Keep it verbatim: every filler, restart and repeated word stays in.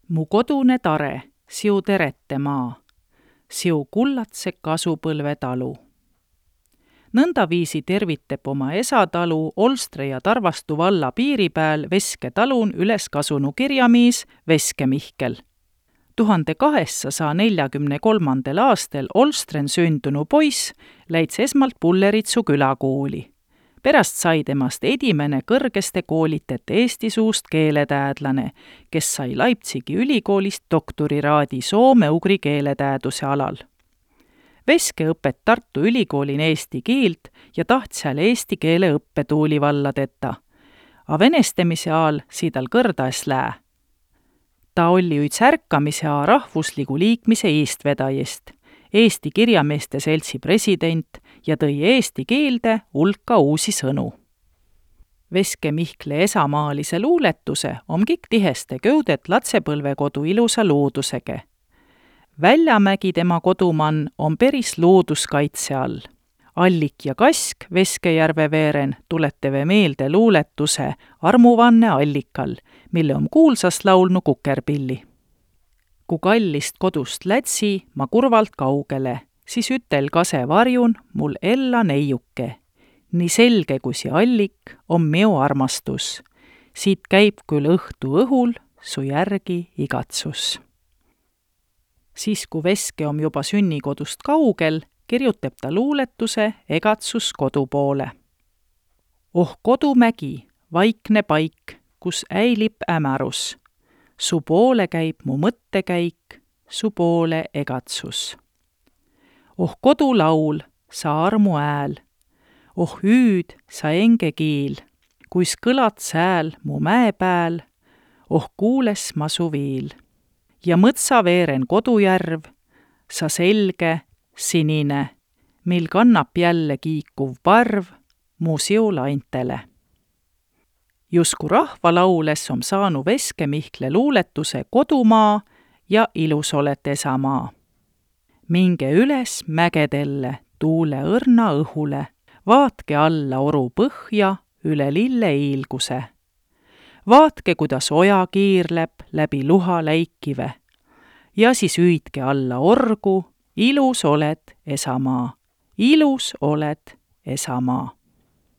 Mu kodune tare, siu terete maa, siu kullatse kasupõlve talu. Nõndaviisi tervitab oma esatalu Olstre ja Tarvastu valla piiri pääl Veske talun üles kasunu kirjamiis Veske Mihkel. tuhande kaheksasada neljakümne kolmandal aastal Olstren sündunu poiss läits esmalt Pulleritsu külakooli. Pärast sai temast edimene kõrgeste koolitete Eesti suust keeletäädlane, kes sai Leipzigi ülikoolist doktoriraadi soome-ugri keeletääduse alal. Veske õpet Tartu ülikoolin eesti keelt ja taht seal eesti keele õppetuuli valladeta. A venestamise ajal siidal kõrdas lää. Ta oli üts ärkamise a rahvusligu liikmise eestvedajist, Eesti kirjameeste seltsi president ja tõi eesti keelde hulka uusi sõnu. Veske Mihkle esamaalise luuletuse on kõik tiheste köudet latsepõlvekodu ilusa loodusege. Väljamägi tema kodumann on peris looduskaitse all. Allik ja Kask Veskejärve veeren tuleteve meelde luuletuse Armuvanne allikal, mille on kuulsas laulnu Kukerpilli. Ku kallist kodust lätsi ma kurvalt kaugele, siis ütel kase varjun mul ella neiuke. Nii selge kui si allik on meo armastus. Siit käib küll õhtu õhul su järgi igatsus. Siis, kui Veske on juba sünnikodust kaugel, kirjutab ta luuletuse Egatsus kodu poole. Oh kodumägi, vaikne paik, kus äilib ämärus. Su poole käib mu mõttekäik, su poole egatsus. Oh kodulaul, sa armu ääl, oh hüüd, sa enge kiil, kuis kõlat sääl mu mäe pääl, oh kuules ma su viil. Ja mõtsa veeren kodujärv, sa selge, sinine, mil kannab jälle kiikuv parv mu siulaintele. Jusku rahvalaules on saanu Veske Mihkle luuletuse Kodumaa ja Ilus olet esamaa. Minge üles mägedelle, tuule õrna õhule, vaatke alla oru põhja üle lille iilguse. Vaatke, kuidas oja kiirleb läbi luha läikive ja siis hüüdke alla orgu, ilus oled esamaa, ilus oled esamaa.